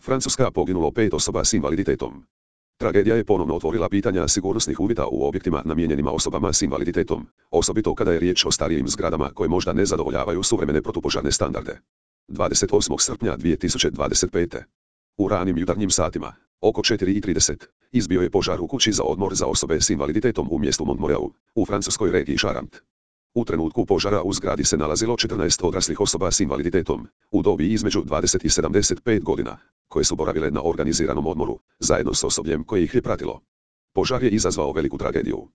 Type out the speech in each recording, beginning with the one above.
Francuska, poginulo 5 osoba s invaliditetom. Tragedija je ponovno otvorila pitanja sigurnosnih uvjeta u objektima namijenjenima osobama s invaliditetom, osobito kada je riječ o starijim zgradama koje možda ne zadovoljavaju suvremene protupožarne standarde. 28. srpnja 2025. U ranim jutarnjim satima, oko 4:30, izbio je požar u kući za odmor za osobe s invaliditetom u mjestu Montmoreu, u francuskoj regiji Charente. U trenutku požara u zgradi se nalazilo 14 odraslih osoba s invaliditetom, u dobi između 20 i 75 godina, koje su boravile na organiziranom odmoru, zajedno s osobljem koje ih je pratilo. Požar je izazvao veliku tragediju.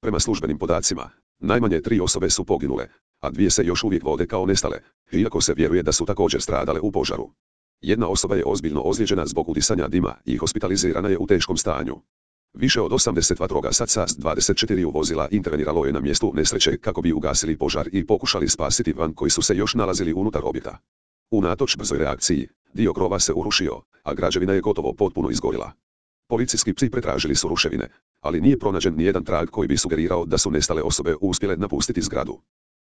Prema službenim podacima, najmanje 3 osobe su poginule, a 2 se još uvijek vode kao nestale, iako se vjeruje da su također stradale u požaru. Jedna osoba je ozbiljno ozlijeđena zbog udisanja dima i hospitalizirana je u teškom stanju. Više od 80 vatrogasaca s 24 vozila interveniralo je na mjestu nesreće kako bi ugasili požar i pokušali spasiti van koji su se još nalazili unutar objekta. Unatoč brzoj reakciji, dio krova se urušio, a građevina je gotovo potpuno izgorila. Policijski psi pretražili su ruševine, ali nije pronađen nijedan trag koji bi sugerirao da su nestale osobe uspjele napustiti zgradu.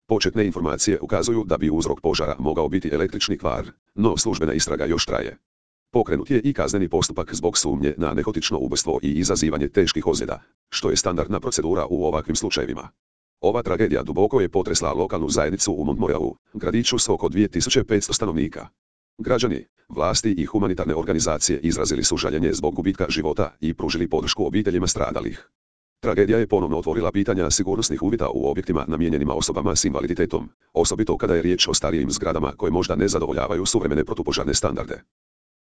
Početne informacije ukazuju da bi uzrok požara mogao biti električni kvar, no službena istraga još traje. Pokrenut je i kazneni postupak zbog sumnje na nehotično ubojstvo i izazivanje teških ozljeda, što je standardna procedura u ovakvim slučajevima. Ova tragedija duboko je potresla lokalnu zajednicu u Montmoreu, gradiću s oko 2500 stanovnika. Građani, vlasti i humanitarne organizacije izrazili su žaljenje zbog gubitka života i pružili podršku obiteljima stradalih. Tragedija je ponovno otvorila pitanja sigurnosnih uvjeta u objektima namijenjenima osobama s invaliditetom, osobito kada je riječ o starijim zgradama koje možda ne zadovoljavaju suvremene protupožarne standarde.